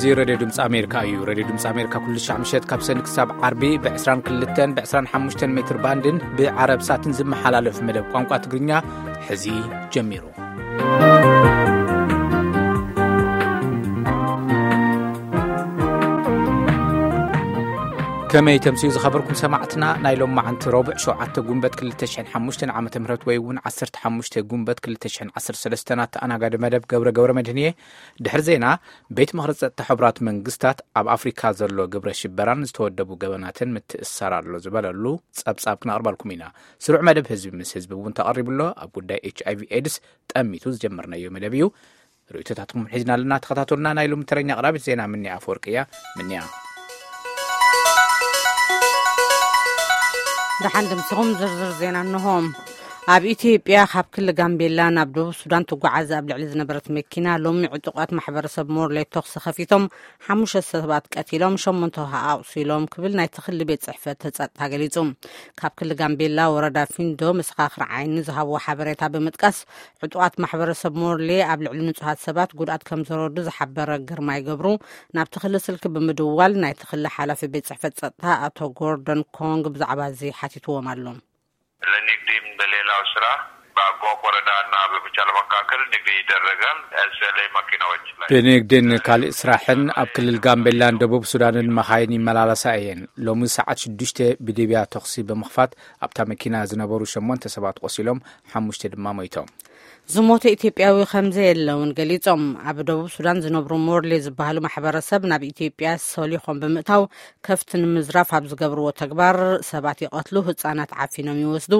እዚ ሬድዮ ድምፂ ኣሜሪካ እዩ። ሬድዮ ድምፂ ኣሜሪካ ኩሉ ሻዕ ምሸት ካብ ሰንበት ክሳብ ዓርቢ ብ22 ብ25 ሜትር ባንድን ብዓረብ ሳትን ዝመሓላለፍ መደብ ቋንቋ ትግርኛ ሕዚ ጀሚሩ። ከመይ ተምስዩ ዝኸበርኩም ሰማዕትና፣ ናይ ሎም መዓንቲ ረቡዕ ሸውዓተ ጉንበት ክልተ ሽሕን ሓሙሽተን ዓመተ ምህረት ወይ እውን ዓሰርተ ሓሙሽተ ጉንበት ክልተ ሽሕን ዓሰርተ ሰለስተን ኣተኣናጋዲ መደብ ገብረ ገብረ መድህን እየ። ድሕሪ ዜና፣ ቤት ምኽሪ ጸጥታ ሕቡራት መንግስታት ኣብ ኣፍሪካ ዘሎ ግብረ ሽበራን ዝተወደቡ ገበናትን ምትእስሳር ኣሎ ዝበለሉ ጸብጻብ ክነቕርበልኩም ኢና። ስሩዕ መደብ ህዝቢ ምስ ህዝቢ እውን ተቐሪቡ ኣሎ። ኣብ ጉዳይ ኤች ኣይ ቪ ኤድስ ጠሚቱ ዝጀመርናዮ መደብ እዩ። ርእይቶታትኩም ሒዝና ኣለና። ተኸታተሉና። ናይ ሎሚ ተረኛ ኣቕራቢት ዜና ምንያ ኣፈወርቂ እያ። ምንያ። ደሓን ድምስኹም። ዝርዝር ዜና እንሆ። ኣብ ኢትዮጵያ ካብ ክልል ጋምቤላ ናብ ደቡብ ሱዳን ትጓዓዝ ኣብ ልዕሊ ዝነበረት መኪና ሎሚ ዕጡቓት ማሕበረሰብ ሞርሌ ተኹሲ ከፊቶም ሓሙሽተ ሰባት ቀቲሎም ሸሞንተ ኣቑሲሎም ክብል ናይቲ ክልል ቤት ጽሕፈት ጸጥታ ገሊጹ። ካብ ክልል ጋምቤላ ወረዳ ፊንዶ መሰኻኽር ዓይኒ ዝሃብዎ ሓበሬታ ብምጥቃስ ዕጡቓት ማሕበረሰብ ሞርሌ ኣብ ልዕሊ ንጹሃት ሰባት ጉድኣት ከም ዘረዱ ዝሓበረ ግርማይ ገብሩ ናብቲ ክልል ስልኪ ብምድዋል ናይቲ ክልል ሓላፊ ቤት ጽሕፈት ጸጥታ ኣቶ ጎርደን ኮንግ ብዛዕባ እዚ ሓቲትዎም ኣሎ። ለንግድም በሌላው ስራ በአጎ ወረዳና በመቻል መካከል ንግድ ይደረጋል። ኤስኤልኤ መኪናዎች ላይ በንግድን ካልእ ስራሕን ኣብ ክልል ጋምቤላን ደቡብ ሱዳንን መኻይን ይመላለሳ እየን። ሎሚ ሰዓት ሽዱሽተ ብድብያ ተኹሲ ብምኽፋት ኣብታ መኪና ዝነበሩ ሸሞንተ ሰባት ቆሲሎም፣ ሓሙሽተ ድማ ሞይቶም። ዝሞተ ኢትዮጵያዊ ከም ዘየለ እውን ገሊጾም። ኣብ ደቡብ ሱዳን ዝነብሩ ሞርሌ ዝበሃሉ ማሕበረሰብ ናብ ኢትዮጵያ ሰሊኾም ብምእታው ከፍቲ ንምዝራፍ ኣብ ዝገብርዎ ተግባር ሰባት ይቐትሉ፣ ህጻናት ዓፊኖም ይወስዱ፣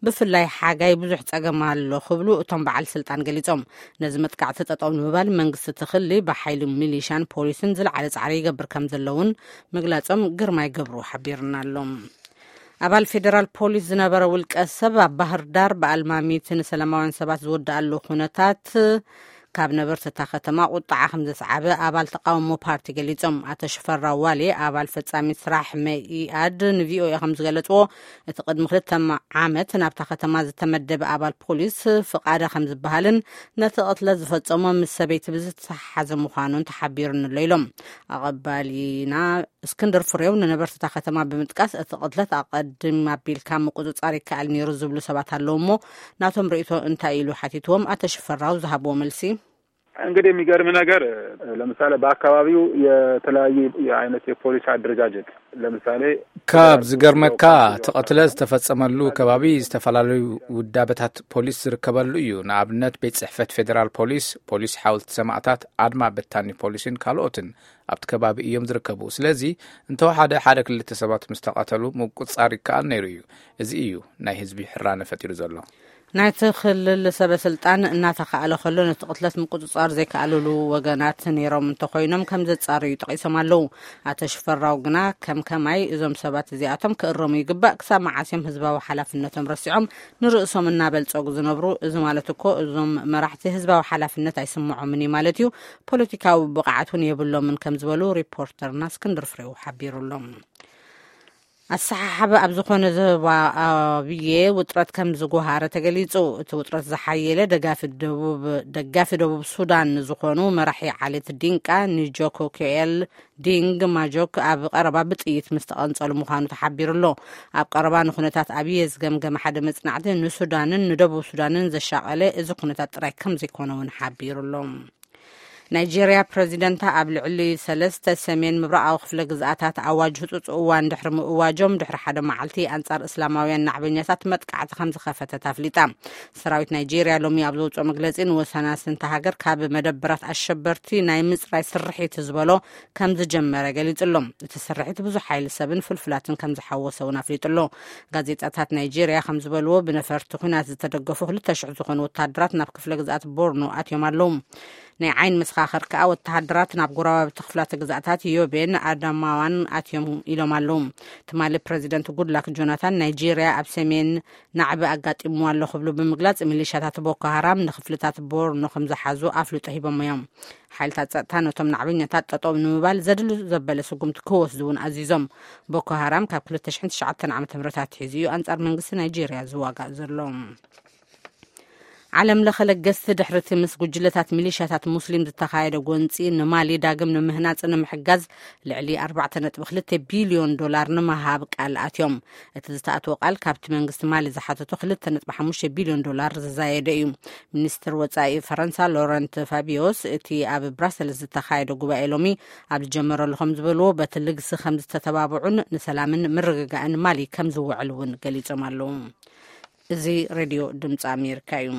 ብፍላይ ሓጋይ ብዙሕ ጸገም ኣሎ ክብሉ እቶም በዓል ስልጣን ገሊጾም። ነዚ መጥቃዕቲ ጠጠው ንምባል መንግስቲ እቲ ክሊ ብሓይሊ ሚሊሻን ፖሊስን ዝለዓለ ጻዕሪ ይገብር ከም ዘለውን ምግላጾም ግርማይ ገብሩ ሓቢርና ኣሎ። ኣባል ፌዴራል ፖሊስ ዝነበረ ውልቀ ሰብ ኣብ ባህር ዳር ብኣልማሚት ንሰላማውያን ሰባት ዝወድኣሉ ኩነታት ካብ ነበርቲ እታ ከተማ ቁጣዓ ከም ዘስዓበ ኣባል ተቃውሞ ፓርቲ ገሊጾም። ኣቶ ሽፈራው ዋሌ ኣባል ፈጻሚ ስራሕ መኢኣድ ንቪኦኤ ከም ዝገለጽዎ፣ እቲ ቅድሚ ክልተ ዓመት ናብታ ከተማ ዝተመደበ ኣባል ፖሊስ ፍቓደ ከም ዝበሃልን ነቲ ቅትለት ዝፈጸሞ ምስ ሰበይቲ ብዝተሓሓዘ ምዃኑን ተሓቢሩኒ ኣሎ ኢሎም። ኣቐባሊና እስክንድር ፍሬው ንነበርቲ እታ ከተማ ብምጥቃስ እቲ ቅትለት ኣቐድም ኣቢልካ ምቁጽጻር ይከኣል ነይሩ ዝብሉ ሰባት ኣለዉ እሞ ናቶም ርእይቶ እንታይ ኢሉ ሓቲትዎም ኣቶ ሽፈራው ዝሃብዎ መልሲ። እንግዲህ የሚገርም ነገር ለምሳሌ በአካባቢው የተለያዩ የአይነት የፖሊስ አደረጃጀት ለምሳሌ ካብ ዝገርመካ እቲ ቅትለት ዝተፈጸመሉ ከባቢ ዝተፈላለዩ ውዳበታት ፖሊስ ዝርከበሉ እዩ። ንኣብነት ቤት ጽሕፈት ፌዴራል ፖሊስ፣ ፖሊስ ሓወልቲ ሰማእታት፣ ኣድማ በታኒ ፖሊስን ካልኦትን ኣብቲ ከባቢ እዮም ዝርከቡ። ስለዚ እንተወሓደ ሓደ ክልተ ሰባት ምስ ተቐተሉ ምቁጽጻር ይከኣል ነይሩ እዩ። እዚ እዩ ናይ ህዝቢ ሕራነ ፈጢሩ ዘሎ። ናይቲ ክልል ሰበ ስልጣን እናተኻእለ ከሎ ነቲ ቅትለት ምቁጽጻር ዘይከኣልሉ ወገናት ነይሮም እንተኾይኖም ከም ዘጻርዩ ጠቒሶም ኣለዉ። ኣቶ ሽፈራው ግና ከም ከማይ እዞም ሰባት እዚኣቶም ክእረሙ ይግባእ። ክሳብ መዓስ እዮም ህዝባዊ ሓላፍነቶም ረሲዖም ንርእሶም እናበልጸጉ ዝነብሩ? እዚ ማለት እኮ እዞም መራሕቲ ህዝባዊ ሓላፍነት ኣይስምዖምን እዩ ማለት እዩ። ፖለቲካዊ ብቕዓት እውን የብሎምን ከም ዝበሉ ሪፖርተርና እስክንድር ፍሬው ሓቢሩ ኣሎ። ኣሰሓሓቢ ኣብ ዝኾነ ዞባ ኣብየ ውጥረት ከም ዝጎሃረ ተገሊጹ። እቲ ውጥረት ዝሓየለ ደጋፊ ደቡብ፣ ደጋፊ ደቡብ ሱዳን ዝኾኑ መራሒ ዓሌት ዲንቃ ንጆኮ ኬኤል ዲንግ ማጆክ ኣብ ቀረባ ብጥይት ምስ ተቐንጸሉ ምዃኑ ተሓቢሩ ኣሎ። ኣብ ቀረባ ንኩነታት ኣብየ ዝገምገመ ሓደ መጽናዕቲ ንሱዳንን ንደቡብ ሱዳንን ዘሻቐለ እዚ ኩነታት ጥራይ ከም ዘይኮነ እውን ሓቢሩ ኣሎ። ናይጄርያ ፕረዚደንታ ኣብ ልዕሊ ሰለስተ ሰሜን ምብራቓዊ ክፍለ ግዝኣታት ኣዋጅ ህጹጽ እዋን ድሕሪ ምእዋጆም ድሕሪ ሓደ መዓልቲ ኣንጻር እስላማውያን ናዕበኛታት መጥቃዕቲ ከም ዝኸፈተት ኣፍሊጣ። ሰራዊት ናይጄርያ ሎሚ ኣብ ዘውጽኦ መግለጺ ንወሰናስንቲ ሃገር ካብ መደበራት ኣሸበርቲ ናይ ምጽራይ ስርሒት ዝበሎ ከም ዝጀመረ ገሊጹ ኣሎ። እቲ ስርሒት ብዙሕ ሓይሊ ሰብን ፍልፍላትን ከም ዝሓወሰ እውን ኣፍሊጡ ኣሎ። ጋዜጣታት ናይጄርያ ከም ዝበልዎ ብነፈርቲ ኲናት ዝተደገፉ ክልተ ሽሕ ዝኾኑ ወታደራት ናብ ክፍለ ግዝኣት ቦርኖ ኣትዮም ኣለዉ። ናይ ዓይኒ መሰኻኽር ከኣ ወተሃደራት ናብ ጎረባብቲ ክፍላተ ግዝኣታት ዮቤን ኣዳማዋን ኣትዮም ኢሎም ኣለዉ። ትማሊ ፕረዚደንት ጉድላክ ጆናታን ናይጄርያ ኣብ ሰሜን ናዕቢ ኣጋጢምዋ ኣሎ ክብሉ ብምግላጽ፣ ሚሊሻታት ቦኮ ሃራም ንክፍልታት ቦርኖ ከም ዝሓዙ ኣፍልጦ ሂቦም እዮም። ሓይልታት ጸጥታ ነቶም ናዕበኛታት ጠጠው ንምባል ዘድሊ ዘበለ ስጉምቲ ክወስዱ እውን ኣዚዞም። ቦኮ ሃራም ካብ ክልተ ሽሕን ትሽዓተን ዓመተ ምህረት ኣትሒዙ እዩ ኣንጻር መንግስቲ ናይጄርያ ዝዋጋእ ዘሎ። ዓለም ለኸ ለገስቲ ድሕርቲ ምስ ጉጅለታት ሚሊሻታት ሙስሊም ዝተኻየደ ጎንፂ ንማሊ ዳግም ንምህናፅ ንምሕጋዝ ልዕሊ ኣርባዕተ ነጥቢ ክልተ ቢልዮን ዶላር ንምሃብ ቃል ኣትዮም። እቲ ዝተኣትዎ ቃል ካብቲ መንግስቲ ማሊ ዝሓተቶ ክልተ ነጥቢ ሓሙሽተ ቢልዮን ዶላር ዝዛየደ እዩ። ሚኒስትር ወፃኢ ፈረንሳ ሎረንት ፋቢዮስ እቲ ኣብ ብራሰልስ ዝተኻየደ ጉባኤ ሎሚ ኣብ ዝጀመረሉ ከም ዝበልዎ በቲ ልግሲ ከም ዝተተባብዑን ንሰላምን ምርግጋእን ማሊ ከም ዝውዕል እውን ገሊጾም ኣለዉ። እዚ ሬድዮ ድምፂ ኣሜሪካ እዩ።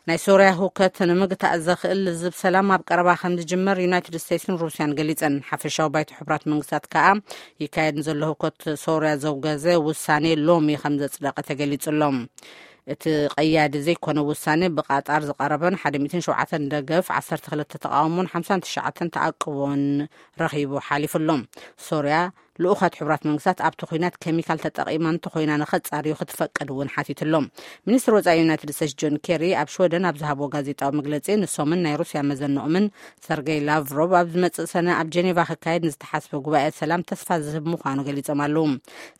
ናይ ሶርያ ህውከት ንምግታእ ዘኽእል ልዝብ ሰላም ኣብ ቀረባ ከም ዝጅመር ዩናይትድ ስቴትስን ሩስያን ገሊጸን። ሓፈሻዊ ባይቶ ሕቡራት መንግስታት ከኣ ይካየድ ንዘሎ ህውከት ሶርያ ዘውገዘ ውሳኔ ሎሚ ከም ዘጽደቐ ተገሊጹ ኣሎ። እቲ ቀያዲ ዘይኮነ ውሳኔ ብቃጣር ዝቐረበን ሓደ ሚእትን ሸውዓተን ደገፍ፣ ዓሰርተ ክልተ ተቓውሞን ሓምሳን ትሽዓተን ተኣቅቦን ረኺቡ ሓሊፉ ኣሎ። ሶርያ ልኡኻት ሕቡራት መንግስታት ኣብቲ ኲናት ኬሚካል ተጠቒማ እንተኾይና ንኸጻርዩ ክትፈቅድ እውን ሓቲቱ ኣሎ። ሚኒስትር ወጻኢ ዩናይትድ ስቴትስ ጆን ኬሪ ኣብ ሽወደን ኣብ ዝሃብዎ ጋዜጣዊ መግለጺ ንሶምን ናይ ሩስያ መዘንኦምን ሰርገይ ላቭሮቭ ኣብ ዝመጽእ ሰነ ኣብ ጀኔቫ ክካየድ ንዝተሓስበ ጉባኤ ሰላም ተስፋ ዝህብ ምዃኑ ገሊጾም ኣለዉ።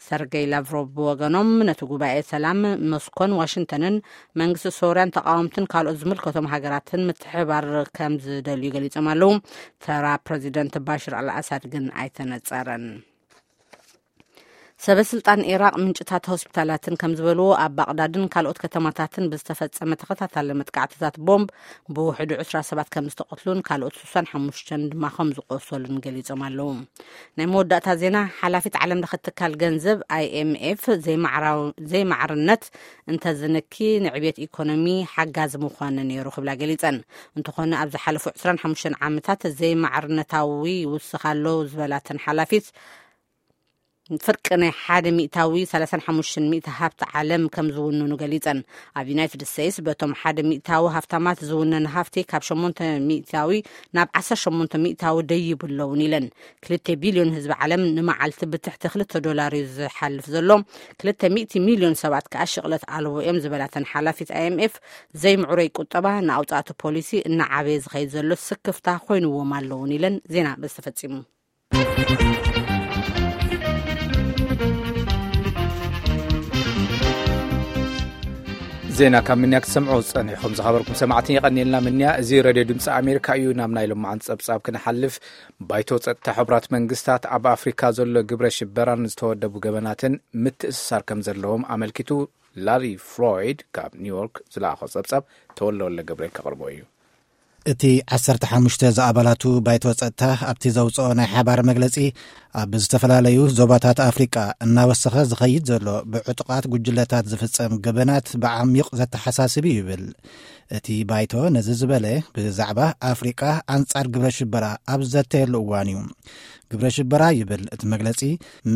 ሰርገይ ላቭሮቭ ብወገኖም ነቲ ጉባኤ ሰላም ሞስኮን ዋሽንግተንን መንግስቲ ሶርያን ተቓወምትን ካልኦት ዝምልከቶም ሃገራትን ምትሕብባር ከም ዝደልዩ ገሊጾም ኣለዉ። ተራ ፕረዚደንት ባሽር ኣልኣሳድ ግን ኣይተነጸረን። ሰበ ስልጣን ኢራቅ ምንጭታት ሆስፒታላትን ከም ዝበልዎ ኣብ ባቅዳድን ካልኦት ከተማታትን ብዝተፈጸመ ተኸታታሊ መጥቃዕትታት ቦምብ ብውሕዱ ዕስራ ሰባት ከም ዝተቐትሉን ካልኦት ስሳን ሓሙሽተን ድማ ከም ዝቆሰሉን ገሊጾም ኣለዉ። ናይ መወዳእታ ዜና። ሓላፊት ዓለም ለኸ ትካል ገንዘብ ኣይኤምኤፍ ዘይማዕራው-፣ ዘይማዕርነት እንተዝንኪ ንዕብየት ኢኮኖሚ ሓጋዚ ምዃኑ ነይሩ ክብላ ገሊጸን። እንተኾነ ኣብ ዝሓለፉ ዕስራን ሓሙሽተን ዓመታት ዘይማዕርነታዊ ይውስኽ ኣሎ ዝበላተን ሓላፊት ፍርቂ ናይ ሓደ ሚእታዊ ሰላሳን ሓሙሽተን ሚእቲ ሃብቲ ዓለም ከም ዝውንኑ ገሊጸን። ኣብ ዩናይትድ ስቴትስ በቶም ሓደ ሚእታዊ ሃፍታማት ዝውነን ሃፍቲ ካብ ሸሞንተ ሚእታዊ ናብ ዓሰርተ ሸሞንተ ሚእታዊ ደይቡ ኣለውን ኢለን። ክልተ ቢልዮን ህዝቢ ዓለም ንመዓልቲ ብትሕቲ ክልተ ዶላር እዩ ዝሓልፍ ዘሎ። ክልተ ሚእቲ ሚልዮን ሰባት ከኣ ሽቕለት ኣልቦ እዮም ዝበላተን ሓላፊት ኣይኤምኤፍ ዘይምዕሩይ ቁጠባ ንኣውጻእቲ ፖሊሲ እናዓበየ ዝኸይድ ዘሎ ስክፍታ ኮይንዎም ኣለውን ኢለን። ዜና በዚ ተፈጺሙ። ዜና ካብ ምንያ ክትሰምዑ ዝጸኒሕኩም ዝኸበርኩም ሰማዕትን የቐንየልና ምንያ። እዚ ሬድዮ ድምፂ ኣሜሪካ እዩ። ናብ ናይ ሎማዓንቲ ጸብጻብ ክንሓልፍ፣ ባይቶ ጸጥታ ሕቡራት መንግስታት ኣብ ኣፍሪካ ዘሎ ግብረ ሽበራን ዝተወደቡ ገበናትን ምትእስሳር ከም ዘለዎም ኣመልኪቱ ላሪ ፍሎይድ ካብ ኒውዮርክ ዝለኣኾ ጸብጻብ ተወለወለ ገብረ ከቕርቦ እዩ። እቲ ዓሰርተ ሓሙሽተ ዝኣባላቱ ባይቶ ጸጥታ ኣብቲ ዘውጽኦ ናይ ሓባር መግለጺ፣ ኣብ ዝተፈላለዩ ዞባታት ኣፍሪቃ እናወሰኸ ዝኸይድ ዘሎ ብዕጡቓት ጉጅለታት ዝፍጸም ገበናት ብዓሚቕ ዘተሓሳስብ እዩ ይብል። እቲ ባይቶ ነዚ ዝበለ ብዛዕባ ኣፍሪቃ ኣንጻር ግብረ ሽበራ ኣብ ዘተየሉ እዋን እዩ። ግብረ ሽበራ ይብል እቲ መግለጺ፣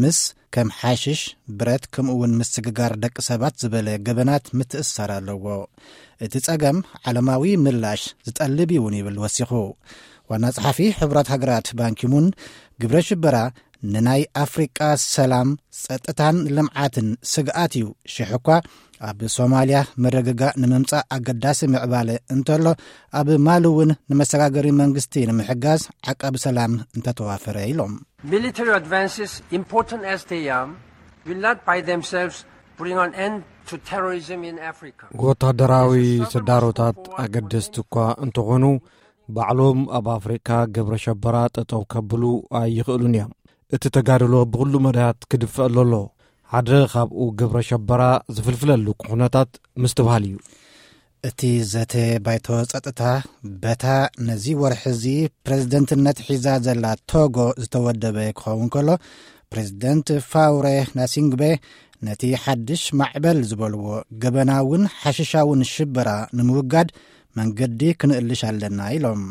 ምስ ከም ሓሽሽ፣ ብረት፣ ከምኡ እውን ምስግጋር ደቂ ሰባት ዝበለ ገበናት ምትእስሳር ኣለዎ። እቲ ጸገም ዓለማዊ ምላሽ ዝጠልብ እውን ይብል ወሲኹ። ዋና ጸሓፊ ሕቡራት ሃገራት ባንኪሙን፣ ግብረ ሽበራ ንናይ ኣፍሪቃ ሰላም፣ ጸጥታን ልምዓትን ስግኣት እዩ፣ ሽሕ እኳ ኣብ ሶማልያ መረግጋእ ንምምጻእ ኣገዳሲ ምዕባለ እንተሎ፣ ኣብ ማሊ እውን ንመሰጋገሪ መንግስቲ ንምሕጋዝ ዓቃቢ ሰላም እንተተዋፈረ ኢሎም። Military advances, important as they are, will not by themselves bring an end to terrorism in Africa. ወታደራዊ ስዳሮታት ኣገደስቲ እኳ እንተኾኑ፣ ባዕሎም ኣብ ኣፍሪካ ግብረ ሸበራ ጠጠው ከብሉ ኣይኽእሉን እዮም። እቲ ተጋድሎ ብኹሉ መዳያት ክድፈእ ኣለዎ። ሓደ ካብኡ ግብረ ሸበራ ዝፍልፍለሉ ኩነታት ምስትብሃል እዩ። እቲ ዘተ ባይቶ ጸጥታ በታ ነዚ ወርሒ እዚ ፕሬዝደንትነት ሒዛ ዘላ ቶጎ ዝተወደበ ክኸውን ከሎ፣ ፕሬዝደንት ፋውሬ ናሲንግቤ ነቲ ሓድሽ ማዕበል ዝበልዎ ገበናውን ሓሽሻውን ሽበራ ንምውጋድ መንገዲ ክንእልሽ ኣለና ኢሎም።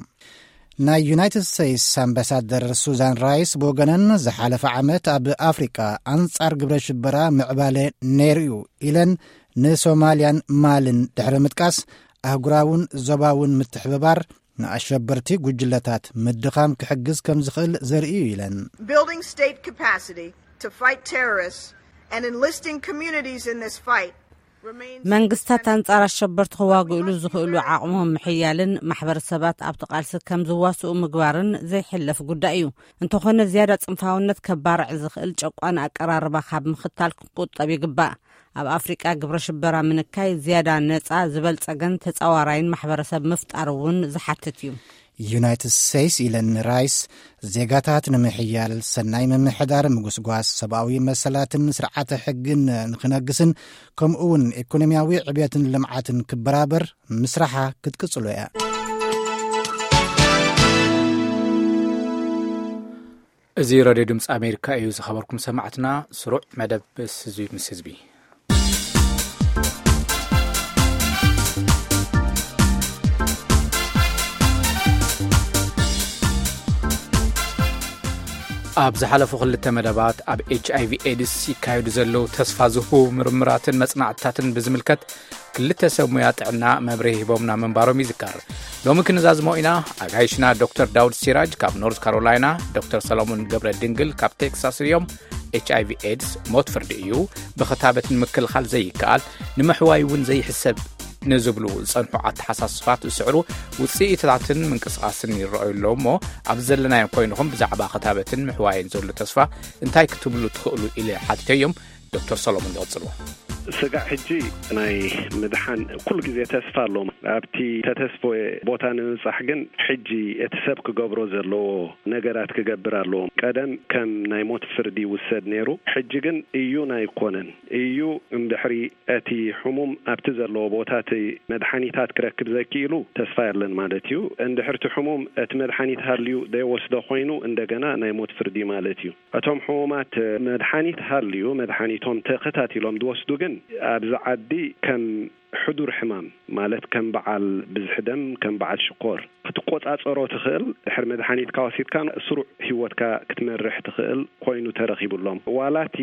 ናይ ዩናይትድ ስቴትስ ኣምባሳደር ሱዛን ራይስ ብወገነን፣ ዝሓለፈ ዓመት ኣብ ኣፍሪቃ ኣንጻር ግብረ ሽበራ ምዕባለ ነይሩ እዩ ኢለን፣ ንሶማልያን ማልን ድሕሪ ምጥቃስ፣ ኣህጉራውን ዞባውን ምትሕብባር ንኣሸበርቲ ጉጅለታት ምድኻም ክሕግዝ ከም ዝኽእል ዘርኢ እዩ ኢለን። Building state capacity to fight terrorists and enlisting communities in this fight remains መንግስታት ኣንጻር ኣሸበርቲ ክዋግእሉ ዝኽእሉ ዓቕሞም ምሕያልን ማሕበረሰባት ኣብቲ ቃልሲ ከም ዝዋስኡ ምግባርን ዘይሕለፍ ጉዳይ እዩ። እንተኾነ ዝያዳ ጽንፋውነት ከባርዕ ዝኽእል ጨቋን ኣቀራርባ ካብ ምኽታል ክንቁጠብ ይግባእ። ኣብ ኣፍሪቃ ግብረ ሽበራ ምንካይ ዝያዳ ነጻ፣ ዝበልጸገን ተጻዋራይን ማሕበረሰብ ምፍጣር እውን ዝሓትት እዩ። ዩናይትድ ስቴትስ፣ ኢለን ራይስ፣ ዜጋታት ንምሕያል፣ ሰናይ ምምሕዳር፣ ምጉስጓስ ሰብኣዊ መሰላትን ስርዓተ ሕግን ንክነግስን፣ ከምኡ እውን ኢኮኖሚያዊ ዕብየትን ልምዓትን ክበራበር ምስራሓ ክትቅጽሎ እያ። እዚ ሬድዮ ድምፂ ኣሜሪካ እዩ። ዝኸበርኩም ሰማዕትና፣ ስሩዕ መደብ ህዝቢ ምስ ህዝቢ። ኣብ ዝሓለፉ ክልተ መደባት ኣብ ኤች ኣይ ቪ ኤድስ ይካየዱ ዘለዉ ተስፋ ዝህቡ ምርምራትን መጽናዕትታትን ብዝምልከት ክልተ ሰብ ሙያ ጥዕና መብርሂ ሂቦምና ምንባሮም ይዝከር። ሎሚ ክንዛዝሞ ኢና። ኣጋይሽና ዶክተር ዳውድ ሲራጅ ካብ ኖርዝ ካሮላይና፣ ዶክተር ሰሎሞን ገብረ ድንግል ካብ ቴክሳስ እዮም። ኤች ኣይ ቪ ኤድስ ሞት ፍርዲ እዩ፣ ብኽታበት ንምክልኻል ዘይከኣል፣ ንምሕዋይ እውን ዘይሕሰብ ንዝብሉ ዝጸንሑ ኣተሓሳስባት ዝስዕሩ ውጽኢታትን ምንቅስቓስን ይረኣዩ ኣለዉ እሞ፣ ኣብ ዘለናዮ ኮይንኹም ብዛዕባ ክታበትን ምሕዋይን ዘሎ ተስፋ እንታይ ክትብሉ ትኽእሉ ኢለ ሓቲተዮም። ዶክተር ሰሎሞን ይቕጽሉ። ስጋዕ ሕጂ ናይ ምድሓን ኩሉ ግዜ ተስፋ ኣሎ። ኣብቲ ተተስፎ ቦታ ንምብጻሕ ግን ሕጂ እቲ ሰብ ክገብሮ ዘለዎ ነገራት ክገብር ኣለዎ። ቀደም ከም ናይ ሞት ፍርዲ ይውሰድ ነይሩ። ሕጂ ግን እዩን ኣይኮነን። እዩ እንድሕሪ እቲ ሕሙም ኣብቲ ዘለዎ ቦታ እቲ መድሓኒታት ክረክብ ዘክኢሉ ተስፋ የለን ማለት እዩ። እንድሕር እቲ ሕሙም እቲ መድሓኒት ሃልዩ ዘይወስዶ ኮይኑ እንደገና ናይ ሞት ፍርዲ ማለት እዩ። እቶም ሕሙማት መድሓኒት ሃልዩ መድሓኒቶም ተኸታቲሎም ዝወስዱ ግን ኣብዚ ዓዲ ከም ሕዱር ሕማም ማለት ከም በዓል ብዝሒ ደም፣ ከም በዓል ሽኮር ክትቆጻጸሮ ትኽእል። ድሕሪ መድሓኒትካ ወሲድካ ስሩዕ ህይወትካ ክትመርሕ ትኽእል ኮይኑ ተረኺቡሎም። ዋላ እቲ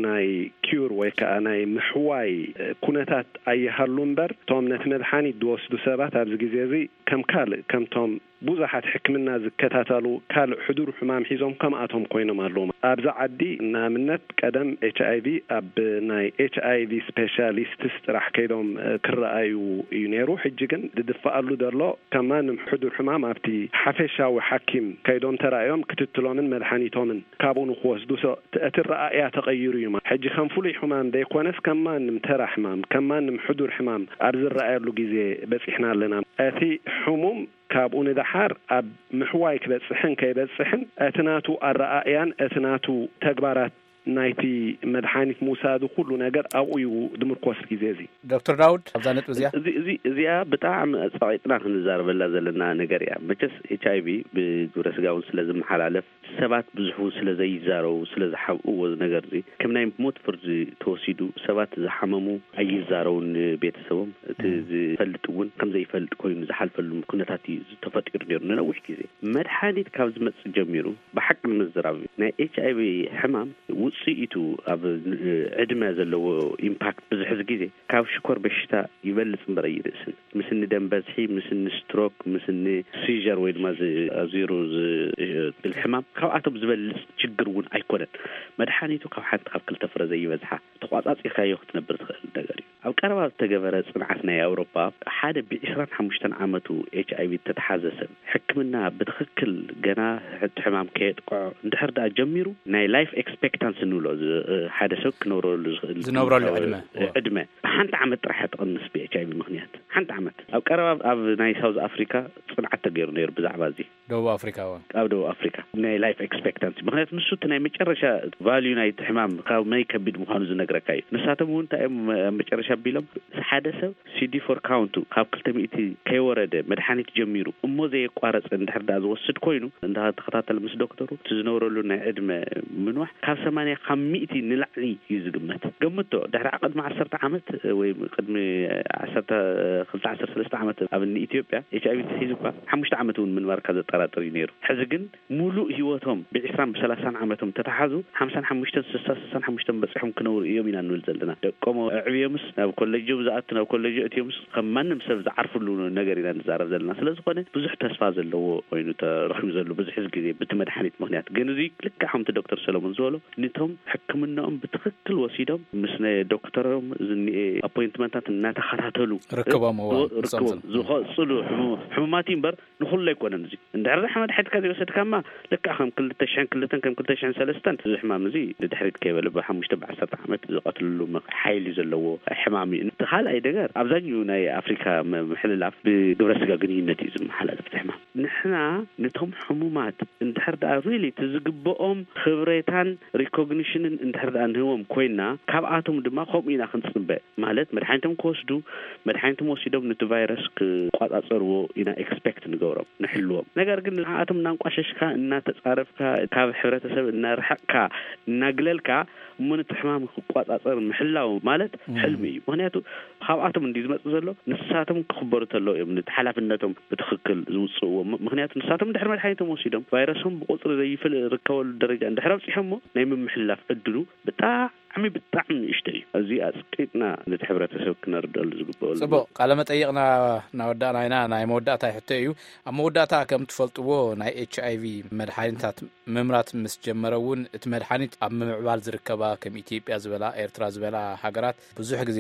ናይ ኪዩር ወይ ከዓ ናይ ምሕዋይ ኩነታት ኣይሃሉ እምበር፣ እቶም ነቲ መድሓኒት ዝወስዱ ሰባት ኣብዚ ግዜ እዚ ከም ካልእ ከምቶም ብዙሓት ሕክምና ዝከታተሉ ካልእ ሕዱር ሕማም ሒዞም ከምኣቶም ኮይኖም ኣለዉ። ኣብዚ ዓዲ ንኣብነት ቀደም ኤች ኣይ ቪ ኣብ ናይ ኤች ኣይ ቪ ስፔሻሊስትስ ጥራሕ ከይዶም፣ እ፣ ክረኣዩ እዩ ነይሩ። ሕጂ ግን ዝድፈኣሉ ዘሎ ከም ማንም ሕዱር ሕማም ኣብቲ ሓፈሻዊ ሓኪም ከይዶም ተራእዮም ክትትሎምን መድሓኒቶምን ካብኡ ንክወስዱ ሰ-፣ እቲ ረኣእያ ተቐይሩ እዩ። ሕጂ ከም ፍሉይ ሕማም ዘይኮነስ ከም ማንም ተራ ሕማም፣ ከም ማንም ሕዱር ሕማም ኣብ ዝረኣየሉ ግዜ በጺሕና ኣለና። እቲ ሕሙም ካብኡ ንደሓር ኣብ ምሕዋይ ክበጽሕን ከይበጽሕን እቲ ናቱ ኣረኣእያን እቲ ናቱ ተግባራት ናይቲ መድሓኒት ምውሳዱ ኩሉ ነገር ኣብኡ እዩ ዝምርኮስ ግዜ እዚ። ዶክተር ዳውድ፣ ኣብዛ ነጥቢ እዚኣ እዚ፣ እዚ፣ እዚኣ ብጣዕሚ ጸቒጥና ክንዛረበላ ዘለና ነገር እያ። መቸስ ኤች ኣይ ቪ ብግብረ ስጋ እውን ስለ ዝመሓላለፍ፣ ሰባት ብዙሕ እውን ስለ ዘይዛረቡ፣ ስለ ዝሓብእዎ እዚ ነገር እዚ፣ ከም ናይ ሞት ፍርዲ ተወሲዱ፣ ሰባት ዝሓመሙ ኣይዛረቡን ንቤተሰቦም። እቲ እም። ዝፈልጥ እውን ከም ዘይፈልጥ ኮይኑ ዝሓልፈሉ ኩነታት እዩ ተፈጢሩ ነይሩ ንነዊሕ ግዜ። መድሓኒት ካብ ዝመጽእ ጀሚሩ፣ ብሓቂ ንምዝራብ፣ ናይ ኤች ኣይ ቪ ሕማም ውጽኢቱ ኣብ ዕድመ ዘለዎ ኢምፓክት ብዙሕ ግዜ ካብ ሽኮር በሽታ ይበልጽ እምበር ኣይንእስን። ምስ እኒ ደም በዝሒ፣ ምስ እኒ ስትሮክ፣ ምስ እኒ ሲዥር ወይ ድማ ዝ-፣ ኣዚሩ ዝ-፣ ዝብል ሕማም ካብኣቶም ዝበልጽ ችግር እውን ኣይኮነን። መድሓኒቱ ካብ ሓንቲ ካብ ክልተ ፍረ ዘይበዝሓ ተቋጻጺርካዮ ክትነብር ትኽእል ነገር እዩ። ኣብ ቀረባ ዝተገበረ ጽንዓት ናይ ኣውሮፓ፣ ሓደ ብዒስራን ሓሙሽተን ዓመቱ ኤች ኣይ ቪ እተተሓዘ ሰብ ሕክምና ብትኽክል ገና እቲ ሕማም ከየጥቅዖ እንድሕር ደኣ ጀሚሩ፣ ናይ ላይፍ ኤክስፔክታንሲ ንብሎ፣ ዝ-፣ ሓደ ሰብ ክነብረሉ ዝኽእል ዝነብረሉ ዕድመ። ዕድመ ብሓንቲ ዓመት ጥራሕ እያ ትቕንስ ብ ኤች ኣይ ቪ ምኽንያት። ሓንቲ ዓመት። ኣብ ቀረባ ኣብ ናይ ሳውዝ ኣፍሪካ ጽንዓት ተገይሩ ነይሩ ብዛዕባ እዚ። ደቡብ ኣፍሪካ እውን። ኣብ ደቡብ ኣፍሪካ ናይ ላይፍ ኤክስፔክታንሲ፣ ምኽንያቱ ንሱ እቲ ናይ መጨረሻ ቫልዩ ናይቲ ሕማም ካብ መይ ከቢድ ምዃኑ ዝነግረካ እዩ። ንሳቶም እውን እንታይ እዮም ኣብ መጨረሻ ኣቢሎም፣ ሓደ ሰብ ሲ ዲ ፎር ካውንቱ ካብ ክልተ ሚእቲ ከይወረደ መድሓኒት ጀሚሩ እሞ ዘየቋረጸ እንድሕር ደኣ ዝወስድ ኮይኑ፣ እንዳተኸታተለ ምስ ዶክተሩ እቲ ዝነብረሉ ናይ ዕድመ ምንዋሕ ካብ ሰማንያ ካብ ሚእቲ ንላዕሊ እዩ ዝግመት። ገምቶ፣ ድሕሪ ቅድሚ ዓሰርተ ዓመት ወይ ቅድሚ ዓሰርተ ክልተ ዓሰርተ ሰለስተ ዓመት ኣብ እኒ ኢትዮጵያ ኤች ኣይ ቪ ተታሒዙ እኳ ሓሙሽተ ዓመት እውን ምንባርካ ዘጠራጥር እዩ ነይሩ። ሕዚ ግን ሙሉእ ህይወቶም ብዒስራን ብሰላሳን ዓመቶም ተታሓዙ ሓምሳን ሓሙሽተን፣ ስሳ፣ ስሳን ሓሙሽተን በጺሖም ክነብሩ እዮም ኢና ንብል ዘለና። ደቆም ኣዕብዮምስ ናብ ኮሌጆም ዝኣቱ፣ ናብ ኮሌጆ እትዮምስ ከም ማንም ሰብ ዝዓርፍሉ ነገር ኢና ንዛረብ ዘለና። ስለ ዝኾነ ብዙሕ ተስፋ ዘለዎ ኮይኑ ተረኺቡ ዘሎ ብዙሕ ግዜ ብቲ መድሓኒት ምኽንያት። ግን እዚ ልክዕ ከምቲ ዶክተር ሰለሞን ዝበሎ፣ ነቶም ሕክምናኦም ብትኽክል ወሲዶም ምስ ናይ ዶክተሮም ዝኒኤ ኣፖይንትመንታት እናተኸታተሉ ርክቦም። እዋን ርክቦም ዝኸፅሉ ሕሙ- ሕሙማት እዩ እምበር ንኹሉ ኣይኮነን። እዚ እንድሕር ዛ ሕማም ሓድካ ዘይወሰድካማ ልክዕ ከም ክልተ ሽሕን ክልተን ከም ክልተ ሽሕን ሰለስተን እዚ ሕማም እዚ ንድሕሪት ከይበለ ብሓሙሽተ ብዓሰርተ ዓመት ዝቐትልሉ መ- ሓይሊ ዘለዎ ሕማም እዩ። እቲ ካልኣይ ነገር ኣብዛኛው ናይ ኣፍሪካ መ- ምሕልላፍ ብግብረ ስጋ ግንኙነት እዩ ዝመሓላለፍ እቲ ሕማም። ንሕና ነቶም ሕሙማት እንድሕር ደኣ ሪሊ እቲ ዝግብኦም ክብሬታን ሪኮግኒሽንን እንድሕር ደኣ ንህቦም ኮይና ካብኣቶም ድማ ከምኡ ኢና ክንፅበ። ማለት መድሓኒቶም ክወስዱ፣ መድሓኒቶም ወሲዶም ነቲ ቫይረስ ክቋፃፀርዎ ኢና ኤክስፔክት ንገብሮም፣ ንሕልዎም። ነገር ግን ንዓኣቶም እናንቋሸሽካ፣ እናተፃረፍካ፣ ካብ ሕብረተሰብ እናርሓቕካ፣ እናግለልካ እሞ ነቲ ሕማም ክቋፃፀር ምሕላው ማለት ሕልሚ እዩ። ምክንያቱ ካብኣቶም እንዲ ዝመፅእ ዘሎ ንሳቶም ክኽበሩ ተለው እዮም ነቲ ሓላፍነቶም ብትኽክል ዝውፅእዎ። ም- ምክንያቱ ንሳቶም ድሕሪ መድሓኒቶም ወሲዶም ቫይረሶም ብቁፅሪ ዘይፍል ርከበሉ ደረጃ እንድሕር ኣብፂሖሞ ናይ ምምሕላፍ ዕድሉ ብጣዕሚ ብጣዕሚ ንእሽቶ እዩ። እዚ ኣፅቂጥና ነቲ ሕብረተሰብ ክነርደሉ ዝግበኦ ጽቡቅ። ቃለ መጠይቅና እናወዳእና ኢና። ናይ መወዳእታ ሕቶ እዩ። ኣብ መወዳእታ ከም ትፈልጥዎ ናይ ኤች ኣይ ቪ መድሓኒታት ምምራት ምስ ጀመረ እውን እቲ መድሓኒት ኣብ ምምዕባል ዝርከባ ከም ኢትዮጵያ ዝበላ ኤርትራ ዝበላ ሃገራት ብዙሕ ግዜ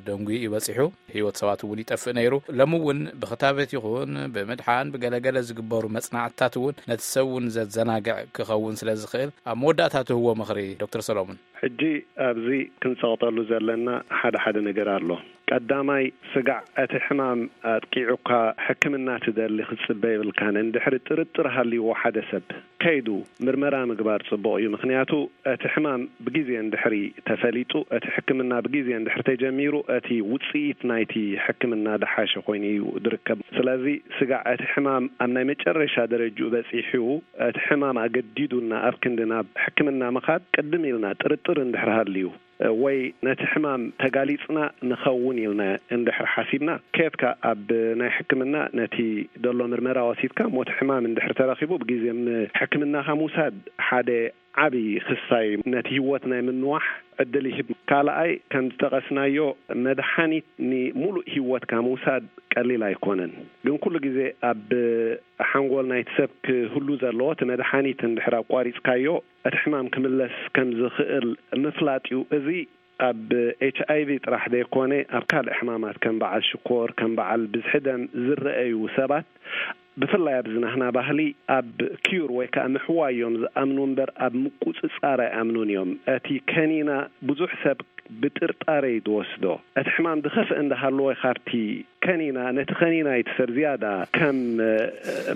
ደንጉዩ እዩ በፂሑ። ህይወት ሰባት እውን ይጠፍእ ነይሩ። ሎሚ እውን ብክታበት ይኹን ብምድሓን ብገለገለ ዝግበሩ መፅናዕትታት እውን ነቲ ሰብ እውን ዘዘናግዕ ክኸውን ስለ ዝኽእል ኣብ መወዳእታ ትህዎ ምኽሪ ዶክተር ሰሎሙን? ሕጂ ኣብዚ ክንፀቕጠሉ ዘለና ሓደ ሓደ ነገር ኣሎ። ቀዳማይ፣ ስጋዕ እቲ ሕማም ኣጥቂዑካ ሕክምና ትደሊ ክትፅበ የብልካን። እንድሕሪ ጥርጥር ሃልይዎ ሓደ ሰብ ከይዱ ምርመራ ምግባር ፅቡቕ እዩ። ምክንያቱ እቲ ሕማም ብግዜ እንድሕሪ ተፈሊጡ፣ እቲ ሕክምና ብግዜ እንድሕሪ ተጀሚሩ፣ እቲ ውፅኢት ናይቲ ሕክምና ደሓሸ ኮይኑ እዩ ዝርከብ። ስለዚ ስጋዕ እቲ ሕማም ኣብ ናይ መጨረሻ ደረጅኡ በፂሑ፣ እቲ ሕማም ኣገዲዱና ኣብ ክንዲ ናብ ሕክምና ምኻድ ቅድም ኢልና ጥርጥር እንድሕር ሃልዩ፣ ወይ ነቲ ሕማም ተጋሊጽና ንኸውን ኢልና እንድሕር ሓሲብና፣ ከየትካ ኣብ ናይ ሕክምና ነቲ ደሎ ምርመራ ወሲድካ፣ ሞት ሕማም እንድሕር ተረኺቡ ብግዜ ም-፣ ሕክምናኻ ምውሳድ ሓደ ዓቢ ክሳይ ነቲ ህይወት ናይ ምንዋሕ ዕድል ይህብ። ካልኣይ፣ ከም ዝጠቐስናዮ፣ መድሓኒት ንሙሉእ ህይወትካ ምውሳድ ቀሊል ኣይኮነን። ግን ኩሉ ግዜ ኣብ ሓንጎል ናይቲ ሰብ ክህሉ ዘለዎ፣ እቲ መድሓኒት እንድሕር ኣቋሪጽካዮ፣ እቲ ሕማም ክምለስ ከም ዝኽእል ምፍላጥ እዩ። እዚ ኣብ ኤች ኣይ ቪ ጥራሕ ዘይኮነ፣ ኣብ ካልእ ሕማማት ከም በዓል ሽኮር፣ ከም በዓል ብዝሒ ደም ዝረኣዩ ሰባት፣ ብፍላይ ኣብዚ ናህና ባህሊ፣ ኣብ ኪዩር ወይ ከኣ ምሕዋይ እዮም ዝኣምኑ እምበር፣ ኣብ ምቁጽጻር ኣይኣምኑን እዮም። እቲ ከኒና ብዙሕ ሰብ ብጥርጣረ እዩ ዝወስዶ። እቲ ሕማም ዝኸፍአ እንዳሃለወ፣ ካብቲ ከኒና፣ ነቲ ከኒና እዩ እቲ ሰብ ዝያዳ ከም፣ እ፣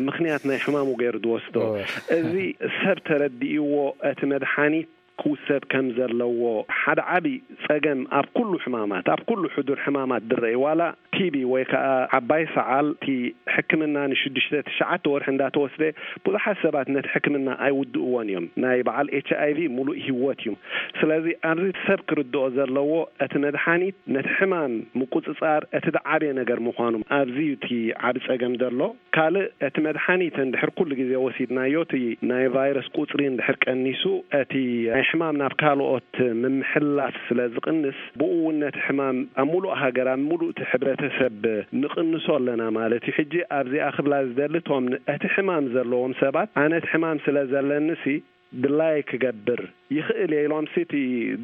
ምኽንያት ናይ ሕማሙ ገይሩ ዝወስዶ። እወ። እዚ ሰብ ተረዲእዎ፣ እቲ መድሓኒት ክውሰድ ከም ዘለዎ። ሓደ ዓቢ ጸገም ኣብ ኩሉ ሕማማት፣ ኣብ ኩሉ ሕዱር ሕማማት ዝረአ፣ ዋላ ቲ ቢ ወይ ከኣ ዓባይ ሰዓል፣ እቲ ሕክምና ንሽዱሽተ ትሽዓተ ወርሒ እንዳተወስደ፣ ብዙሓት ሰባት ነቲ ሕክምና ኣይውድእዎን እዮም። ናይ በዓል ኤች ኣይ ቪ ሙሉእ ህይወት እዩ። ስለዚ ኣብዚ ሰብ ክርድኦ ዘለዎ፣ እቲ መድሓኒት ነቲ ሕማም ምቁጽጻር እቲ ዝዓበየ ነገር ምዃኑ፣ ኣብዚ እዩ እቲ ዓቢ ጸገም ዘሎ። ካልእ፣ እቲ መድሓኒት እንድሕር ኩሉ ግዜ ወሲድናዮ፣ እቲ ናይ ቫይረስ ቁጽሪ እንድሕር ቀኒሱ፣ እቲ ናይ ሕማም ናብ ካልኦት ምምሕላፍ ስለ ዝቕንስ፣ ብኡ እውን ነቲ ሕማም ኣብ ሙሉእ ሃገር፣ ኣብ ሙሉእ እቲ ሕብረተሰብ ንቕንሶ ኣለና ማለት እዩ። ሕጂ ኣብዚኣ ክብላ ዝደሊ፣ እቶም ን-፣ እቲ ሕማም ዘለዎም ሰባት፣ ኣነ እቲ ሕማም ስለ ዘለኒሲ ድላየ ክገብር ይኽእል እየ ኢሎም ሲ እቲ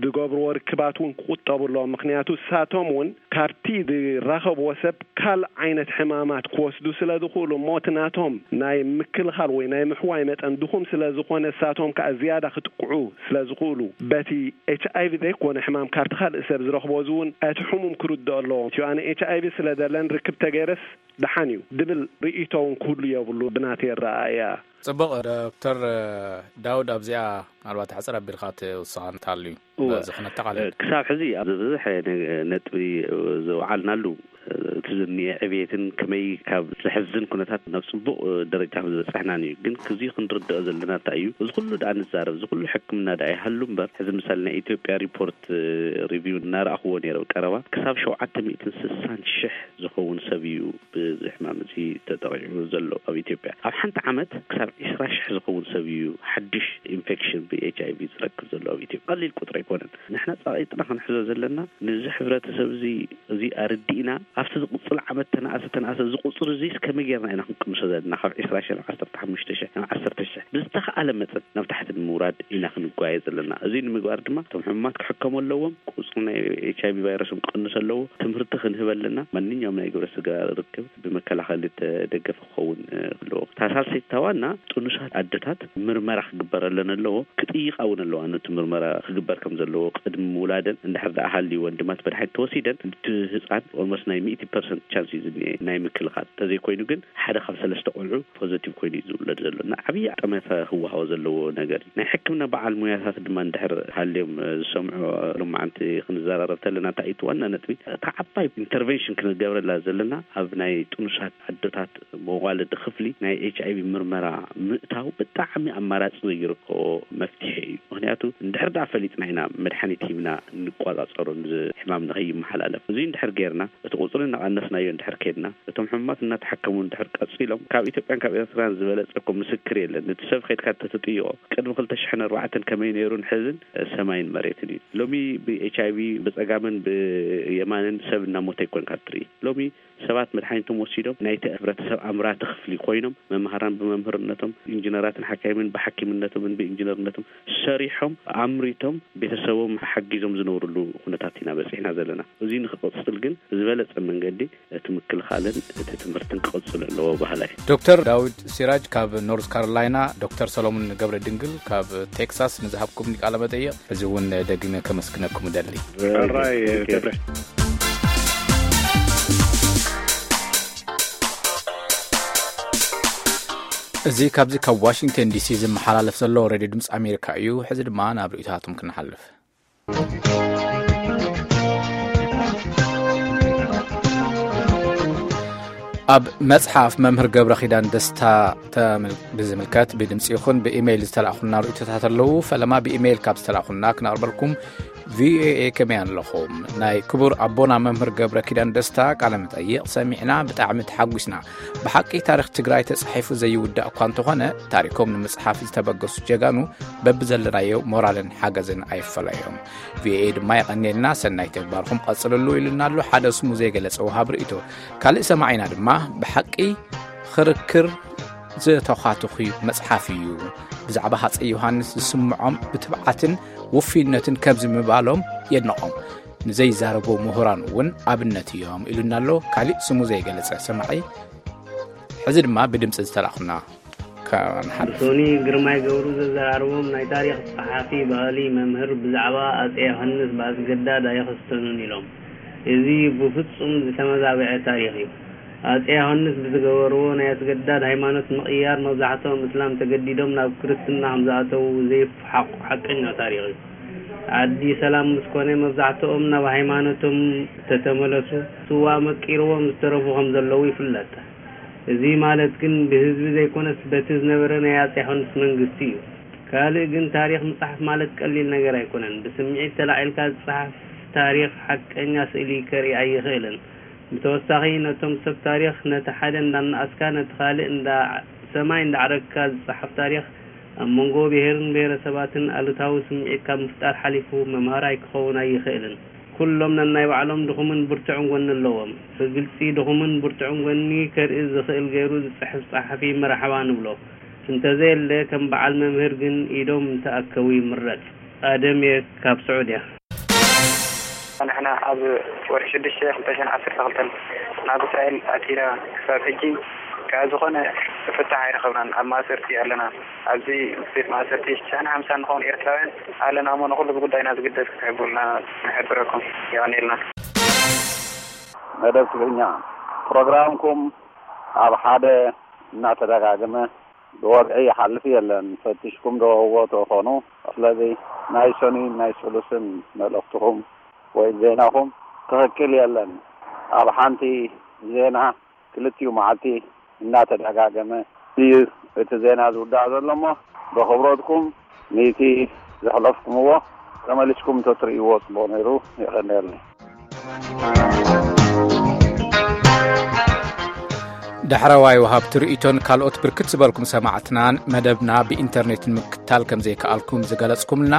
ዝገብርዎ ርክባት እውን ክቑጠቡ ኣለዎም። ምኽንያቱ ንሳቶም እውን ካብቲ ዝራኸብዎ ሰብ ካልእ ዓይነት ሕማማት ክወስዱ ስለ ዝኽእሉ እሞ፣ እቲ ናቶም ናይ ምክልኻል ወይ ናይ ምሕዋይ መጠን ድኹም ስለ ዝኾነ፣ ንሳቶም ከኣ ዝያዳ ክጥቅዑ ስለ ዝኽእሉ፣ በቲ ኤች ኣይ ቪ ዘይኮነ ሕማም ካብቲ ካልእ ሰብ ዝረኽቦ፣ እዚ እውን እቲ ሕሙም ክርድኦ ኣለዎ። እቲ ኣነ ኤች ኣይ ቪ ስለ ዘለኒ ርክብ ተገይረስ ደሓን እዩ ድብል ርእይቶ እውን ክህሉ የብሉ፣ ብናተይ ኣረኣእያ። ጽቡቕ። ዶክተር ዳውድ፣ ኣብዚኣ ምናልባት ሕጽር ኣቢልካ ትውስኻ እንተሃልዩ፣ እወ፣ በዚ ክነጠቓልል። ክሳብ ሕዚ ኣብ ዝበዝሐ ነ-፣ ነጥቢ ዘውዓልናሉ፣ እቲ ዝኒኤ ዕብየትን ከመይ ካብ ዘሕዝን ኩነታት ናብ ጽቡቕ ደረጃ ከም ዝበጻሕናን እዩ። ግን ክዚ ክንርድኦ ዘለና እንታይ እዩ? እዚ ኩሉ ደኣ ንዛረብ፣ እዚ ኩሉ ሕክምና ደኣ ይሃሉ እምበር፣ ሕዚ ምሳሌ ናይ ኢትዮጵያ ሪፖርት ሪቪው እናረኣኽዎ ነይረ ቀረባ፣ ክሳብ ሸውዓተ ሚእትን ስሳን ሽሕ ዝኸውን ሰብ እዩ ብዚ ሕማም እዚ ተጠቒዑ ዘሎ ኣብ ኢትዮጵያ። ኣብ ሓንቲ ዓመት ክሳብ ዒስራ ሽሕ ዝኸውን ሰብ እዩ ሓድሽ ኢንፌክሽን ብ ኤች ኣይ ቪ ዝረክብ ዘሎ ኣብ ኢትዮጵያ። ቀሊል ቁጥሪ ኣይኮነን። ንሕና ጸቒጥና ክንሕዞ ዘለና፣ ነዚ ሕብረተሰብ እዚ፣ እዚ ኣረዲእና፣ ኣብቲ ዝቕጽል ዓመት ተነኣሰ ተነኣሰ፣ እዚ ቁጽሪ እዚስ ከመይ ጌርና ኢና ክንቅንሶ ዘለና? ካብ ዕስራ ሺሕ ናብ ዓሰርተ ሓሙሽተ ሺሕ ናብ ዓሰርተ ሺሕ ብዝተኻእለ መጠን ናብ ታሕቲ ንምውራድ ኢና ክንጓየ ዘለና። እዚ ንምግባር ድማ እቶም ሕሙማት ክሕከሙ ኣለዎም። ቁጽሪ ናይ ኤች ኣይ ቪ ቫይረስም ክቕንስ ኣለዎ። ትምህርቲ ክንህብ ኣለና። ማንኛውም ናይ ግብረ ስጋ ርክብ ብመከላኸሊ ተደገፈ ክኸውን ኣለዎ። እታ ሳልሰይቲ ዋና ጥኑሳት ኣደታት ምርመራ ክግበረለን ኣለዎ። ክጥይቃ እውን ኣለዋ ነቲ ምርመራ ክግበር ከም ዘለዎ። ቅድሚ ምውላደን እንድሕር ደኣ ሃልይወን ድማ እቲ መድሓኒት ተወሲደን፣ እቲ ህፃን ኦልሞስት ናይ ሚእቲ ፐርሰንት ቻንስ እዩ ዝኒኤ ናይ ምክልኻል። እንተዘይኮይኑ ግን ሓደ ካብ ሰለስተ ቆልዑ ፖዘቲቭ ኮይኑ እዩ ዝውለድ ዘሎ። እና ዓብዪ ጠመተ ክወሃቦ ዘለዎ ነገር እዩ። ናይ ሕክምና በዓል ሙያታት ድማ እንድሕር ሃልዮም ዝሰምዑ፣ ሎማዓንቲ ክንዘራረብ ተለና እንታይ እዩ እቲ ዋና ነጥቢ? እታ ዓባይ ኢንተርቨንሽን ክንገብረላ ዘለና ኣብ ናይ ጥኑሳት ኣደታት መዋለዲ ክፍሊ ናይ ኤች ኣይ ቪ ምርመራ ምእታው ብጣዕሚ ኣማራፂ ዘይርከቦ መፍትሒ እዩ። ምክንያቱ እንድሕር ደኣ ፈሊጥና ኢና መድሓኒት ሂብና እንቆፃፀሮ፣ እዚ ሕማም ንከይመሓላለፍ። እዚ እንድሕር ጌርና እቲ ቁፅሪ እናቐነስናዮ እንድሕር ከይድና፣ እቶም ሕሙማት እናተሓከሙ እንድሕር ቀፂሎም፣ ካብ ኢትዮጵያን ካብ ኤርትራን ዝበለፀ እኮ ምስክር የለን። እቲ ሰብ ከይድካ እንተትጥይቆ ቅድሚ ክልተ ሽሕን ኣርባዕተን ከመይ ነይሩን ሕዝን ሰማይን መሬትን እዩ። ሎሚ ብ ኤች ኣይ ቪ ብፀጋምን ብየማንን ሰብ እናሞተ ኣይኮንካ ትርኢ። ሎሚ ሰባት መድሓኒቶም ወሲዶም ናይቲ ሕብረተሰብ ኣምራቲ ክፍሊ ኮይኖም፣ መምሃራን ብመምህርነቶም፣ ኢንጂነራትን ሓካይምን ብሓኪምነቶምን ብኢንጂነርነቶም ሰሪሖም ኣምሪቶም ቤተሰቦም ሓጊዞም ዝነብርሉ ኩነታት ኢና በፂሕና ዘለና። እዚ ንክቕፅል ግን ዝበለፀ መንገዲ እቲ ምክልኻልን እቲ ትምህርትን ክቕፅል ኣለዎ በሃላይ። ዶክተር ዳዊት ሲራጅ ካብ ኖርዝ ካሮላይና፣ ዶክተር ሰሎሞን ገብረ ድንግል ካብ ቴክሳስ ንዝሃብኩምኒ ቃለ መጠይቕ እዚ እውን ደጊመ ከመስግነኩም እደሊ። ሕራይ ገብረ። እዚ ካብዚ ካብ ዋሽንግተን ዲሲ ዝመሓላለፍ ዘሎ ሬድዮ ድምፂ ኣሜሪካ እዩ። ሕዚ ድማ ናብ ርእይቶታትኩም ክንሓልፍ። ኣብ መጽሓፍ መምህር ገብረ ኪዳን ደስታ ተምል-፣ ብዝምልከት ብድምፂ ይኹን ብኢሜይል ዝተላእኹልና ርእይቶታት ኣለዉ። ፈለማ ብኢሜይል ካብ ዝተላእኹልና ክነቕርበልኩም። ቪኦኤ ከመይ ኣለኹም? ናይ ክቡር ኣቦና መምህር ገብረ ኪዳን ደስታ ቃለ መጠይቕ ሰሚዕና ብጣዕሚ ተሓጒስና። ብሓቂ ታሪኽ ትግራይ ተጻሒፉ ዘይውዳእ እኳ እንተኾነ፣ ታሪኮም ንምጽሓፍ ዝተበገሱ ጀጋኑ በብዘለናዮ ሞራልን ሓገዝን ኣይፈለዮም። ቪኦኤ ድማ የቐንየልና፣ ሰናይ ተግባርኩም ቀጽልሉ ኢሉና ኣሎ ሓደ ስሙ ዘይገለጸ ወሃብ ርእይቶ። ካልእ ሰማዒና ድማ ብሓቂ ክርክር ዝተዃትኹ መጽሓፍ እዩ። ብዛዕባ ሃጸይ ዮሃንስ ዝስምዖም ብትብዓትን ውፍይነትን ከምዚ ምባሎም የድንቖም። ንዘይዛረቡ ምሁራን እውን ኣብነት እዮም ኢሉና ኣሎ ካሊእ ስሙ ዘይገለጸ ሰማዒ። ሕዚ ድማ ብድምጺ ዝተላኹና ከንሓልፍ። ብሶኒ ግርማይ ገብሩ ዘዘራርቦም ናይ ታሪኽ ጸሓፊ ባህሊ መምህር ብዛዕባ ኣጼ ዮሃንስ ብኣስገዳድ ኣይኸስተኑን ኢሎም። እዚ ብፍጹም ዝተመዛበዐ ታሪኽ እዩ። ኣጼ ዮሃንስ ብዝገበርዎ ናይ ኣስገዳድ ሃይማኖት ምቕያር መብዛሕትኦም እስላም ተገዲዶም ናብ ክርስትና ከም ዝኣተዉ ዘይፍሓቑ ሓቀኛ ታሪኽ እዩ። ዓዲ ሰላም ምስ ኮነ መብዛሕትኦም ናብ ሃይማኖቶም ተተመለሱ። ስዋ መቂርዎም ዝተረፉ ከም ዘለዉ ይፍለጥ። እዚ ማለት ግን ብህዝቢ ዘይኮነስ በቲ ዝነበረ ናይ ኣጼ ዮሃንስ መንግስቲ እዩ። ካልእ ግን ታሪኽ ምጽሓፍ ማለት ቀሊል ነገር ኣይኮነን። ብስምዒት ተላዒልካ ዝጸሓፍ ታሪኽ ሓቀኛ ስእሊ ከርኢ ኣይኽእልን። ብተወሳኺ ነቶም ሰብ ታሪኽ ነቲ ሓደ እንዳነኣስካ ነቲ ካልእ እንዳ ሰማይ እንዳዕረግካ ዝጸሓፍ ታሪኽ ኣብ መንጎ ብሄርን ብሄረሰባትን ኣሉታዊ ስምዒት ካብ ምፍጣር ሓሊፉ መምሃራይ ክኸውን ኣይኽእልን። ኩሎም ነናይ ባዕሎም ድኹምን ብርቱዕን ጎኒ ኣለዎም። ብግልጺ ድኹምን ብርቱዕን ጎኒ ከርኢ ዝኽእል ገይሩ ዝጽሕፍ ጸሓፊ መርሓባ ንብሎ። እንተዘየለ ከም በዓል መምህር ግን ኢዶም እንተኣከቡ ይምረጽ። ኣደም እየ ካብ ስዑድያ። ንሕና ኣብ ወርሒ ሽዱሽተ ክልተ ሽሕን ዓሰርተ ክልተን ናብ እስራኤል ኣቲና ክሳብ ሕጂ ከኣ ዝኾነ ፍታሕ ኣይረኸብናን። ኣብ ማእሰርቲ ኣለና። ኣብዚ ቤት ማእሰርቲ ሽሕን ሓምሳን ንኸውን ኤርትራውያን ኣለና እሞ ንኹሉ ብጉዳይና ዝግደስ ክትሕብሩልና ንሕብረኩም። የቐንየልና። መደብ ትግርኛ ፕሮግራምኩም ኣብ ሓደ እናተደጋገመ ብወግዒ ይሓልፍ የለን። ፈቲሽኩም ዶ እዎ ትኾኑ? ስለዚ ናይ ሰኑይን ናይ ስሉስን መልእኽትኹም ወይ ዜናኹም ትኽክል የለን። ኣብ ሓንቲ ዜና ክልቲኡ መዓልቲ እናተደጋገመ እዩ እቲ ዜና ዝውዳእ ዘሎ እሞ ብኽብረትኩም ነቲ ዘሕለፍኩምዎ ተመሊስኩም እንተትርእይዎ ጽቡቕ ነይሩ። የቐንየለይ። ዳሕረዋይ ወሃብቲ ርእይቶን ካልኦት ብርክት ዝበልኩም ሰማዕትናን መደብና ብኢንተርኔት ንምክትታል ከም ዘይከኣልኩም ዝገለጽኩምልና፣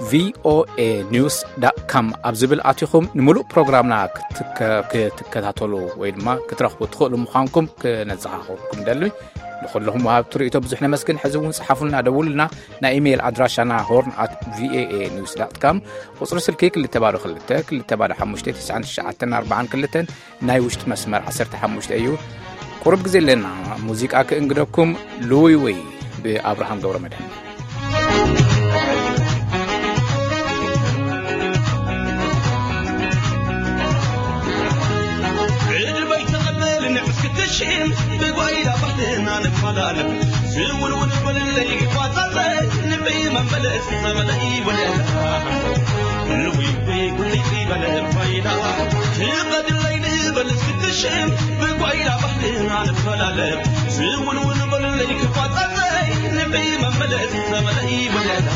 V O A news dot com ኣብ ዝብል ኣቲኹም ንምሉእ ፕሮግራምና ክትከ-፣ ክትከታተሉ ወይ ድማ ክትረኽቡ ትኽእሉ ምዃንኩም ክነዘኻኽረኩም ደሊ። ንኹልኹም ወሃብቲ ርእይቶ ብዙሕ ነመስግን። ሕዚ እውን ጽሓፉልና፣ ደውሉልና። ናይ ኢሜይል ኣድራሻና ሆርን ኣት V A A news dot com፣ ቁጽሪ ስልኪ ክልተ ባዶ ክልተ፣ ክልተ ባዶ ሓሙሽተ፣ ትሽዓን ትሽዓተን ኣርባዓን ክልተን፣ ናይ ውሽጢ መስመር ዓሰርተ ሓሙሽተ እዩ። ቁሩብ ግዜ ኣለና፣ ሙዚቃ ክእንግደኩም። ልውይውይ ብኣብርሃም ገብረ መድህን። ዕድመይ ተቐበል ንዕስ ክትሽም ብጓይላ ባህልና ንፈላለም። ዝውንውን በልለይ ይፋታለይ ንበይ መመለስ ጸበለይ ወለላ። ልውይውይ ጉልይ በለ ባይላ ትቐድለይ ንበል እስክትሽም ብጓይላ ባህልና ንፈላለም። ዝውንውን በልለይ ክፋታለይ ንበይ መመለስ ጸበለይ ወለላ።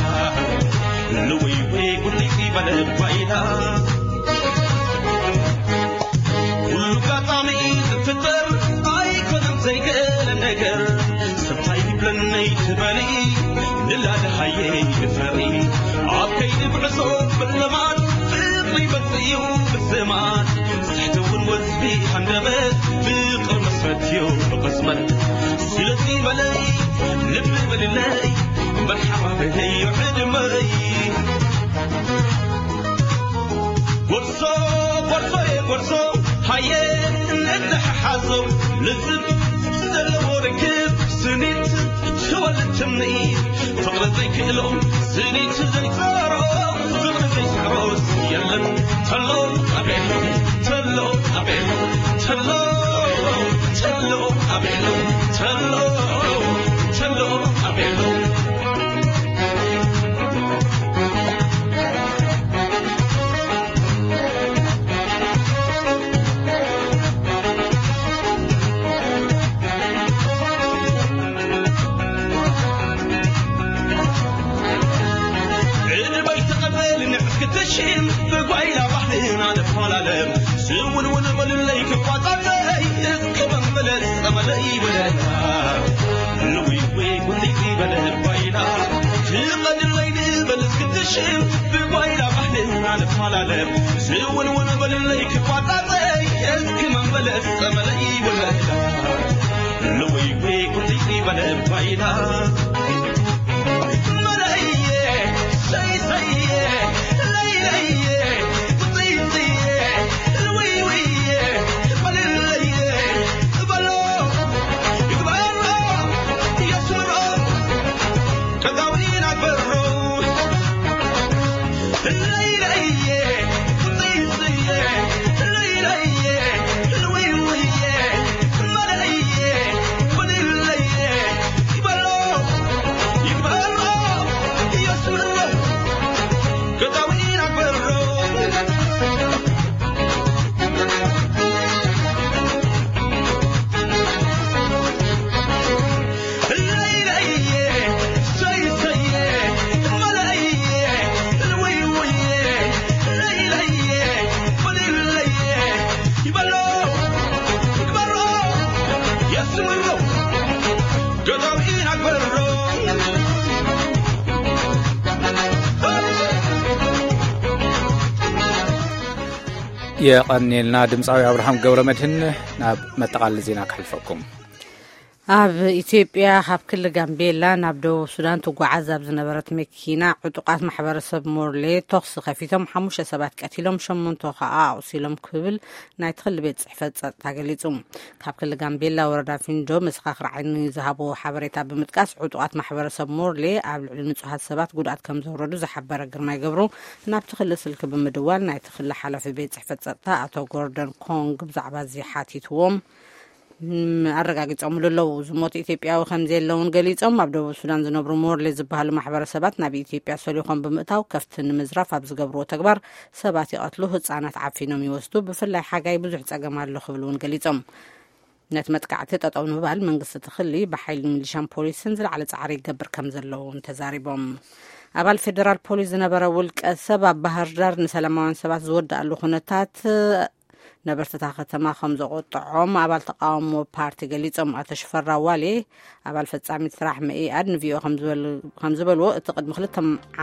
ልውይውይ ጉልይ በለ ባይላ ኩሉ ኣጋጣሚ ዝፍጠር ኣይኮነን ዘይገለ ነገር። ሰብታይ ይብለኒ ትበሊ ንላለ ሃየ ይፈሪ። ኣብ ከይዲ ጉዕዞ ብለማድ ፍቕሪ ይበልጽ እዩ ብስማድ። ስሕቲ እውን ወዝቢ ሃንደበት ፍቕሪ መስረት እዩ ብቕጽበት። ስለዚ በለይ ልቢ በልለይ መርሓባ በለይ ዕድመይ። ጎርዞ፣ ጎርዞ፣ ጎርዞ፣ ሃየ፣ እንተሓሓዞ፣ ልዝብ ዘለዎ ርክብ፣ ስኒት ትወልድ ትምኒት፣ ፍቕሪ ዘይክእሎ፣ ስኒት ዘይጸሮ፣ ፍቕሪ ዘይስዕሮስ የለን። ተሎ ኣቤሎ፣ ተሎ ኣቤሎ፣ ተሎ፣ ተሎ ኣቤሎ፣ ተሎ፣ ተሎ ኣቤሎ። ዕድመይ ተቐበል ንዕስ ክትሽም ብጓይላ ባህልና ንፈላለም። ስውንውን በልለይ ክፋታለይ እስከ መመለስ ጸመለይ ወለላ። ልውይውይ ጉልይ በለ ባይላ ትቐድለይ ንበል እስክትሽም ብጓይላ ባህልና ንፈላለም። ስውንውን በልለይ ክፋታለይ እስከ መመለስ ጸመለይ ወለላ። ልውይውይ ጉልይ በለ ባይላ የቐንየልና ድምፃዊ ኣብርሃም ገብረ መድህን። ናብ መጠቓለሊ ዜና ከሕልፈኩም። ኣብ ኢትዮጵያ ካብ ክልል ጋምቤላ ናብ ደቡብ ሱዳን ትጓዓዝ ኣብ ዝነበረት መኪና ዕጡቓት ማሕበረሰብ ሞርሌ ተኹሲ ከፊቶም ሓሙሽተ ሰባት ቀቲሎም ሸሞንተ ከኣ ኣቑሲሎም ክብል ናይቲ ክልል ቤት ጽሕፈት ጸጥታ ገሊጹ። ካብ ክልል ጋምቤላ ወረዳ ፊንዶ መሰኻኽር ዓይኒ ዝሃብዎ ሓበሬታ ብምጥቃስ ዕጡቓት ማሕበረሰብ ሞርሌ ኣብ ልዕሊ ንጹሃት ሰባት ጉድኣት ከም ዘውረዱ ዝሓበረ ግርማይ ገብሩ ናብቲ ክልል ስልኪ ብምድዋል ናይቲ ክልል ሓላፊ ቤት ጽሕፈት ጸጥታ ኣቶ ጎርደን ኮንግ ብዛዕባ እዚ ሓቲትዎም። ም-፣ ኣረጋጊጾምሉ ኣለዉ። ዝሞቱ ኢትዮጵያዊ ከም ዘየለውን ገሊጾም፣ ኣብ ደቡብ ሱዳን ዝነብሩ ሞርሌ ዝበሃሉ ማሕበረሰባት ናብ ኢትዮጵያ ሰሊኾም ብምእታው ከፍቲ ንምዝራፍ ኣብ ዝገብርዎ ተግባር ሰባት ይቐትሉ፣ ህጻናት ዓፊኖም ይወስዱ፣ ብፍላይ ሓጋይ ብዙሕ ጸገም ኣሎ ክብሉ እውን ገሊጾም። ነቲ መጥቃዕቲ ጠጠው ንምባል መንግስቲ እቲ ክሊ ብሓይሊ ሚሊሻን ፖሊስን ዝለዓለ ጻዕሪ ይገብር ከም ዘሎ እውን ተዛሪቦም። ኣባል ፌደራል ፖሊስ ዝነበረ ውልቀ ሰብ ኣብ ባህር ዳር ንሰላማውያን ሰባት ዝወድኣሉ ኩነታት ነበርቲ እታ ከተማ ከም ዘቆጥዖም ኣባል ተቃውሞ ፓርቲ ገሊጾም። ኣቶ ሽፈራው ዋሌ፣ ኣባል ፈጻሚት ስራሕ መኢኣድ፣ ንቪኦ ከም ዝበልዎ፣ እቲ ቅድሚ ክልተ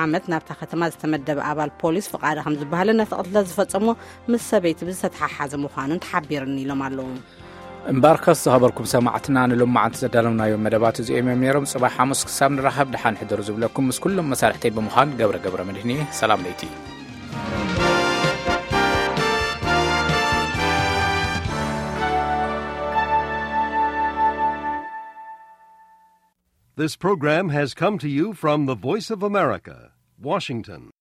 ዓመት ናብታ ከተማ ዝተመደበ ኣባል ፖሊስ ፍቓደ ከም ዝበሃለ ነቲ ቅትለት ዝፈጸሞ ምስ ሰበይቲ ብዝተተሓሓዘ ምዃኑን ተሓቢርኒ ኢሎም ኣለዉ። እምበኣርከስ ዝኸበርኩም ሰማዕትና፣ ንሎማዓንቲ ዘዳለውናዮም መደባት እዚኦም እዮም ነይሮም። ጽባሕ ሓሙስ ክሳብ ንራኸብ፣ ደሓን ሕደሩ ዝብለኩም ምስ ኩሎም መሳርሕተይ ብምዃን ገብረ ገብረ መድህን እየ። ሰላም ለይቲ። This program has come to you from the Voice of America, Washington.